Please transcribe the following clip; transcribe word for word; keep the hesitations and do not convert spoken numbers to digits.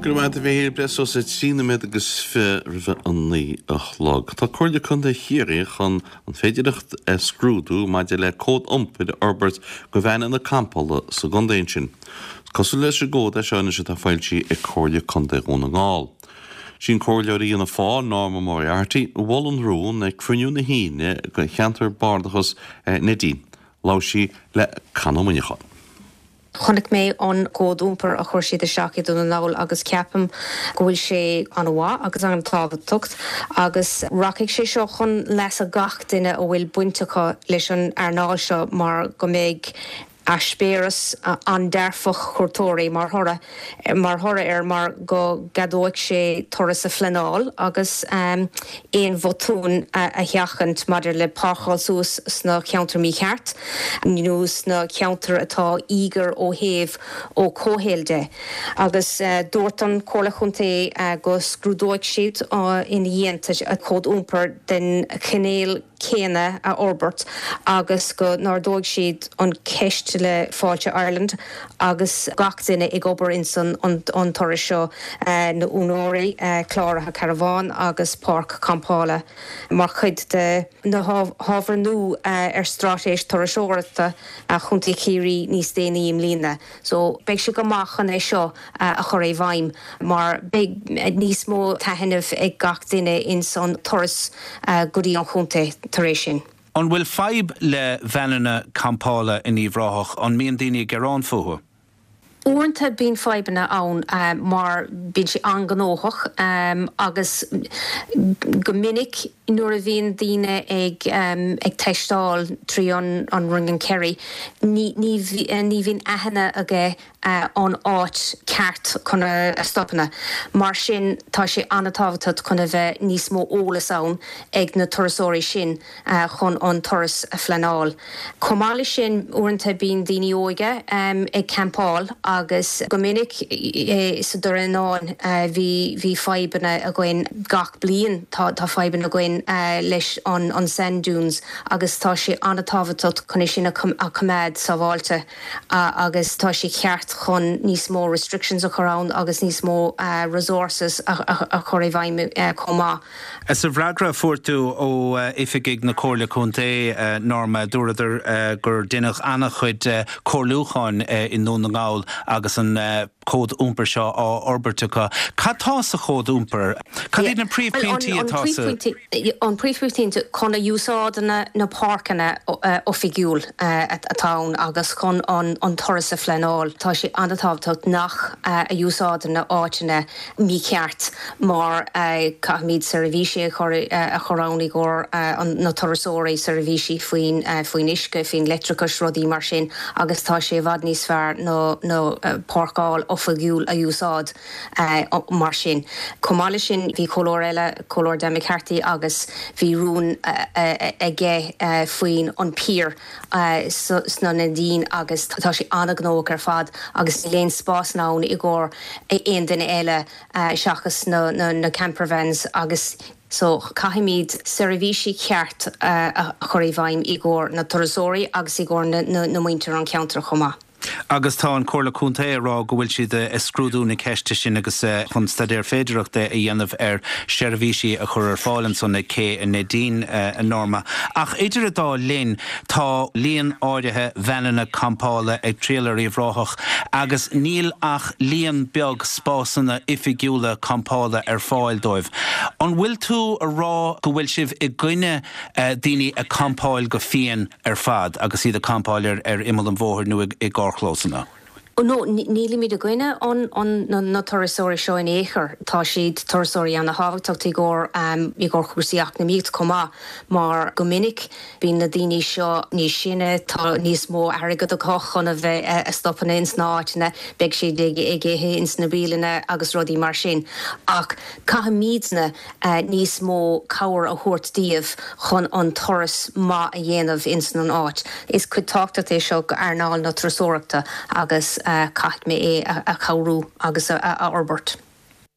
Go raibh maith agat a Mhíchíl, breis is a trí nóiméad agus fiche roimh a naoi a chlog. Tá Comhairle Contae Chiarraí chun an féidireacht a scrúdú maidir le cód iompair a fhorbairt do veaineanna campála sa gcontae sin. Cosúil leis an gcód é seo anois atá foilsithe ag Comhairle Contae Dhún na nGall. Sin comhairleoir Fhianna Fáil Norma Moriarty a mhol an rún ag cruinniú na hAoine de cheantar bardasach Neidín. Labhair sí le Conn Ó Muineacháin. Chonaic mé an cód iompair a chuir siad isteach i Dún na nGall agus ceapaim go bhfuil sé an-mhaith agus an-tábhachtach agus rachaidh sé seo chun leasa gach duine a bhfuil baint acu leis an earnáil seo mar go mbeidh eispéireas an-dearfach cuairteoirí mar thoradh mar thoradh air mar go gceadóidh sé turas a phleanáil agus um, aon bhotún a, a sheachaint maidir le páirceáil suas sna ceantar mícheart nó sna ceantar atá íogair ó thaobh ó comhshaoil de. Agus uh, dúirt an Comhairle Chontae uh, go scrúdóidh siad uh, ina dhiaidh a cód iompair den chineál céanna a fhorbairt agus go n-ardóidh siad an ceist le Fáilte Ireland agus gach duine ag obair in san an, an turas seo uh, na úinéirí uh, cláraithe carbhán agus páirc campála mar chuid de na hábhair nua uh, ar straitéis turasóireachta a Chontae Chiarraí níos déanaí i mbliana. So beidh sé go maith chun é seo uh, a chur i bhfeidhm mar beidh níos mó taitneamh ag gach duine in san turas uh, go dtí an chontae tar éis sin. An bhfuil fadhb le veaineanna campála in Uíbh Ráthach an mbíonn daoine ag gearán fúthu? Uaireanta bíonn fadhbanna ann uh, mar bíonn sé an-ghnóthach um, agus go minic nuair a bhíonn daoine ag um, ag taisteal trí an an Ring of Kerry ní ní ní bhíonn aithne aige uh, an áit ceart chun a, a stopanna. Mar sin tá sé an-tábhachtach chun a bheith níos mó eolas ann ag na turasóirí sin uh, chun an turas a phleanáil. Comála sin uaireanta bíonn daoine óga um, ag campáil agus go minic e, sa Doire uh, bhí bhí fadhbanna againn gach bliain tá tá fadhbanna againn uh, leis an an sand dunes agus tá sé an-tábhachtach chun sin a choimeád sábháilte uh, agus tá sé ceart chun níos mó restrictions a chur ann agus níos mó uh, resources a, a, a chur i bhfeidhm uh, chomh maith. Sa bhfreagra fuair tú ó oifigigh na Comhairle Contae Norma dúradar gur deineadh an-chuid comhairliúcháin i nDún na nGall agus an cód iompair seo á fhorbairt acu. Cad tá sa chód iompair? Cad iad na príomhphointí atá an príomhphointe chun a úsáid na, na páirceanna oifigiúil atá agus chun an, an turas a phleanáil. Tá sé an-tábhachtach nach a úsáid na áiteanna mícheart mar caithfimid seirbhísí a chur ann i gcomhair na turasóirí seirbhísí faoin faoin uisce faoin leictreachas rudaí mar sin agus tá sé i bhfad níos fearr nó nó páirceáil oifigiúil a úsáid uh, mar sin. Comála sin bhí comhairleoir eile comhairleoir Dan McCarthy agus bhí rún aige uh, faoin an pier uh, sna Neidín agus tá sé an-ghnóthach ar fad agus níl aon spás ann i gcomhair aon duine eile uh, seachas na, na, na campervans agus So caithfimid seirbhísí ceart uh, a chur i bhfeidhm i gcomhair na turasóirí agus i gcomhair na, na, na muintir an ceantar chomh maith. Agus tá an Comhairle Contae ag rá go bhfuil siad ag scrúdú na ceiste sin agus chun staidéar féidireachta a dhéanamh ar seirbhísí a chur ar fáil ansan ag cé an Neidín a Norma. Ach idir an dá linn tá líon áirithe veaineanna campála ag triall ar Uíbh Ráthach agus níl ach líon beag spásanna oifigiúla campála ar fáil dóibh. An bhfuil tú ag rá go bhfuil sibh i gcoinne daoine ag campáil go fiáin ar fad agus iad ag campáil ar ar imeall an bhóthair nó i gcarrchlósanna. No nílimid i gcoinne an, an na, na turasóirí seo in aon chor tá siad turasóirí an-tábhachtach i gcomhair um, i gcomhair cúrsaí eacnamaíocht chomh maith mar go minic bíonn na daoine seo níos sine tá níos mó airgead acu chun a bheith a stopanna ins na háiteanna beidh siad ag ag ithe ins na bialanna agus rudaí mar sin ach caithfimidne uh, níos mó cabhair a thabhairt dóibh chun an turas maith a dhéanamh ins an áit. Is cuid tábhachtach é seo go earnáil na turasóireachta agus uh, caithfidh mé é a, a chabhrú agus a, a, a fhorbairt.